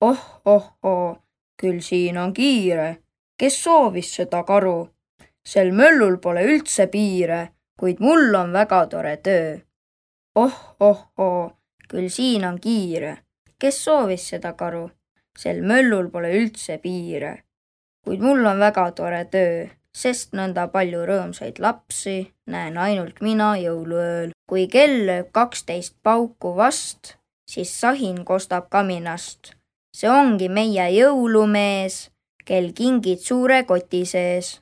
Oh, küll siin on kiire, kes soovis seda karu? Sel möllul pole üldse piire, kuid mul on väga tore töö. Oh, küll siin on kiire, kes soovis seda karu? Sel möllul pole üldse piire, kuid mul on väga tore töö, sest nõnda palju rõõmsaid lapsi näen ainult mina jõuluööl. Kui kell lööb 12 pauku vast, siis sahin kostab kaminast. See ongi meie jõulumees, kel kingid suure koti sees.